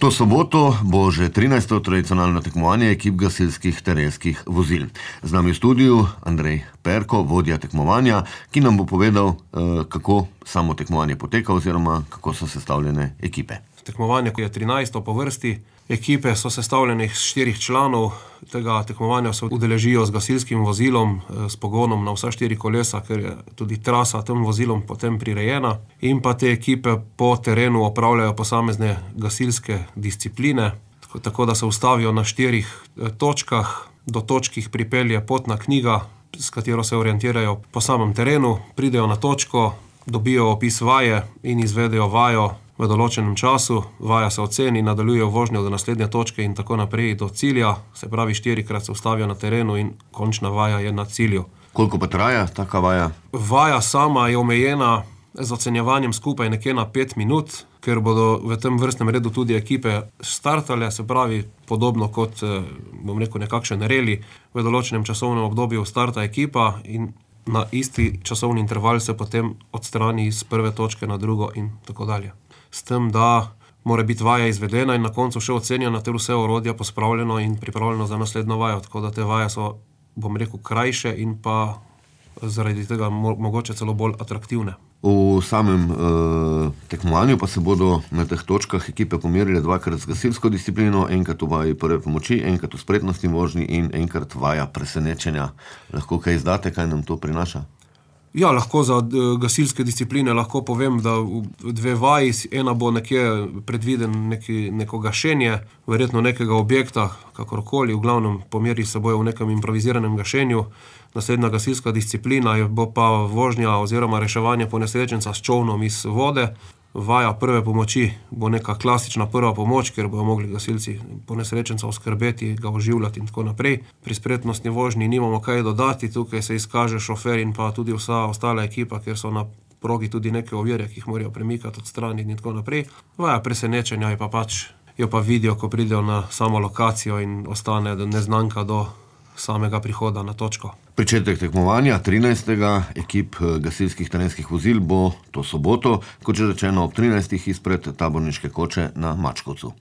To soboto bo že 13. tradicionalno tekmovanje ekip gasilskih terenskih vozil. Z nami v studiu Andrej Perko, vodja tekmovanja, ki nam bo povedal, kako samo tekmovanje poteka oziroma kako so sestavljene ekipe. Tekmovanje je 13. po vrsti. Ekipe so sestavljene iz 4 članov. Tega tekmovanja se udeležijo z gasilskim vozilom, s pogonom na vsa 4 kolesa, ker je tudi trasa tem vozilom potem prirejena. In pa te ekipe po terenu opravljajo posamezne gasilske discipline, tako da se ustavijo na 4 točkah. Do točk jih pripelje potna knjiga, s katero se orientirajo po samem terenu, pridejo na točko, dobijo opis vaje in izvedejo vajo v določenem času. Vaja se oceni, nadaljujejo vožnjo do naslednje točke in tako naprej do cilja. Se pravi, 4-krat se ustavijo na terenu in končna vaja je na cilju. Koliko pa traja taka vaja? Vaja sama je omejena z ocenjevanjem skupaj nekje na 5 minut, ker bodo v tem vrstnem redu tudi ekipe startale, se pravi, podobno kot, nekakšen reli, v določenem časovnem obdobju starta ekipa in na isti časovni interval se potem odstrani iz prve točke na drugo in tako dalje. S tem, da mora biti vaja izvedena in na koncu še ocenjena ter vse orodja pospravljeno in pripravljeno za naslednjo vajo, tako da te vaje so, krajše in pa zaradi tega mogoče celo bolj atraktivne. V samem tekmovanju pa se bodo na teh točkah ekipe pomerile 2-krat z gasilsko disciplino, enkrat v vaji prve pomoči, enkrat v spretnostni vožnji in enkrat vaja presenečenja. Lahko kaj izdate, kaj nam to prinaša? Ja, lahko za gasilske discipline lahko povem, da v 2 vaji, ena bo nekje predviden neko gašenje, verjetno nekega objekta, kakorkoli, v glavnem pomeri se bojo v nekem improviziranem gašenju. Naslednja gasilska disciplina bo pa vožnja oziroma reševanje ponesrečenca s čolnom iz vode. Vaja prve pomoči bo neka klasična prva pomoč, kjer bojo mogli gasilci ponesrečenca oskrbeti, ga oživljati in tako naprej. Pri spretnostni vožnji nimamo kaj dodati, tukaj se izkaže šofer in pa tudi vsa ostala ekipa, ker so na progi tudi neke ovire, ki jih morajo premikati, odstraniti in tako naprej. Vaja presenečenja jo pa vidijo, ko pridejo na samo lokacijo in ostane neznanka do samega prihoda na točko. Pričetek tekmovanja 13. ekip gasilskih terenskih vozil bo to soboto, kot že rečeno, ob 13. izpred taborniške koče na Mačkovcu.